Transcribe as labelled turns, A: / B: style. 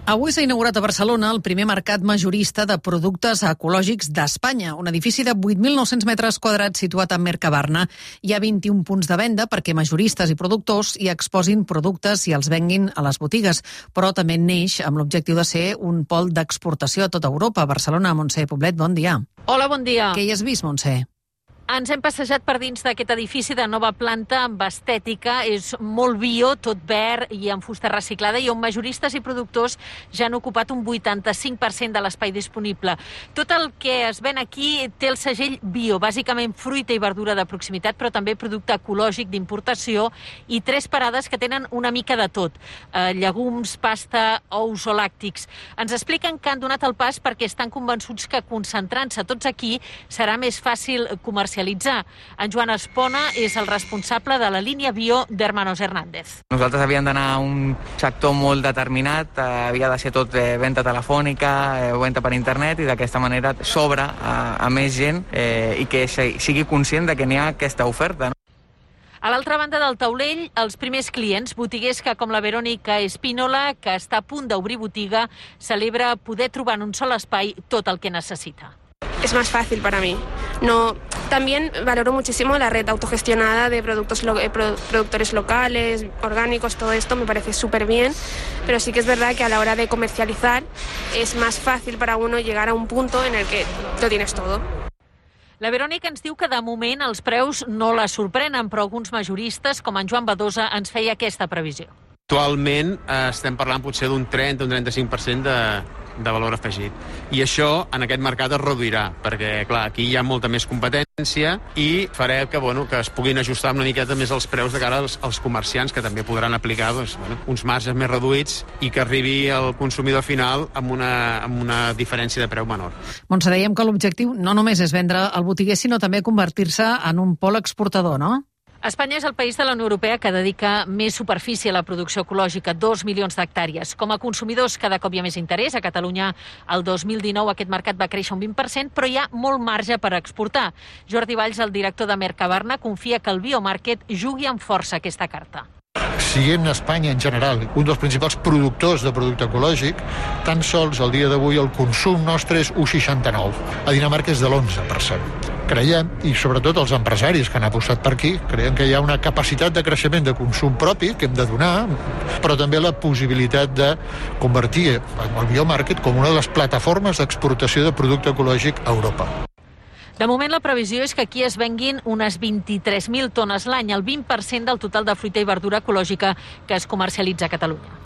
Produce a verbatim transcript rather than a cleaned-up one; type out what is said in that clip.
A: Avui s'ha inaugurat a Barcelona el primer mercat majorista de productes ecològics d'Espanya, un edifici de vuit mil nou-cents metres quadrats situat a Mercabarna. Hi ha vint-i-un punts de venda perquè majoristes i productors hi exposin productes i els venguin a les botigues, però també neix amb l'objectiu de ser un pol d'exportació a tota Europa. Barcelona, Montse Poblet, bon dia.
B: Hola, bon dia.
A: Què hi has vist, Montse?
B: Ens hem passejat per dins d'aquest edifici de nova planta amb estètica. És molt bio, tot verd i amb fusta reciclada, i on majoristes i productors ja han ocupat un vuitanta-cinc per cent de l'espai disponible. Tot el que es ven aquí té el segell bio, bàsicament fruita i verdura de proximitat, però també producte ecològic d'importació, i tres parades que tenen una mica de tot. Eh, llegums, pasta, ous o làctics. Ens expliquen que han donat el pas perquè estan convençuts que concentrant-se tots aquí serà més fàcil comercialitzar. En Joan Espona és el responsable de la línia bio d'Hermanos Hernández.
C: Nosaltres havíem d'anar a un sector molt determinat, eh, havia de ser tot eh, venda telefònica, eh, venda per internet, i d'aquesta manera s'obre a, a més gent eh, i que sigui conscient de que n'hi ha aquesta oferta. No?
B: A l'altra banda del taulell, els primers clients, botiguers que, com la Verònica Espínola, que està a punt d'obrir botiga, celebra poder trobar en un sol espai tot el que necessita.
D: Es más fácil para mí. No, también valoro muchísimo la red autogestionada de productos lo, eh, productores locales, orgánicos, todo esto me parece súper bien, pero sí que es verdad que a la hora de comercializar es más fácil para uno llegar a un punto en el que lo tienes todo.
B: La Verònica ens diu que de moment els preus no la sorprenen, però alguns majoristes, com en Joan Badosa, ens feia aquesta previsió.
E: Actualment eh, estem parlant potser d'un trenta o un trenta-cinc per cent de, de valor afegit. I això en aquest mercat es reduirà, perquè clar, aquí hi ha molta més competència i farà que, bueno, que es puguin ajustar una miqueta més els preus de cara als, als comerciants, que també podran aplicar doncs, bueno, uns marges més reduïts i que arribi al consumidor final amb una, amb una diferència de preu menor.
A: Montse, dèiem que l'objectiu no només és vendre al botiguer, sinó també convertir-se en un pol exportador, no?
B: Espanya és el país de la Unió Europea que dedica més superfície a la producció ecològica, dos milions d'hectàrees. Com a consumidors, cada cop hi ha més interès. A Catalunya, el dos mil dinou, aquest mercat va créixer un vint per cent, però hi ha molt marge per exportar. Jordi Valls, el director de Mercabarna, confia que el Biomarket jugui amb força aquesta carta.
F: Siguent Espanya en general un dels principals productors de producte ecològic, tan sols al dia d'avui el consum nostre és un seixanta-nou. A Dinamarca és de l'onze per cent. Creiem, i sobretot els empresaris que han apostat per aquí, creiem que hi ha una capacitat de creixement de consum propi que hem de donar, però també la possibilitat de convertir el Biomarket com una de les plataformes d'exportació de producte ecològic a Europa.
B: De moment, la previsió és que aquí es venguin unes vint-i-tres mil tones l'any, el vint per cent del total de fruita i verdura ecològica que es comercialitza a Catalunya.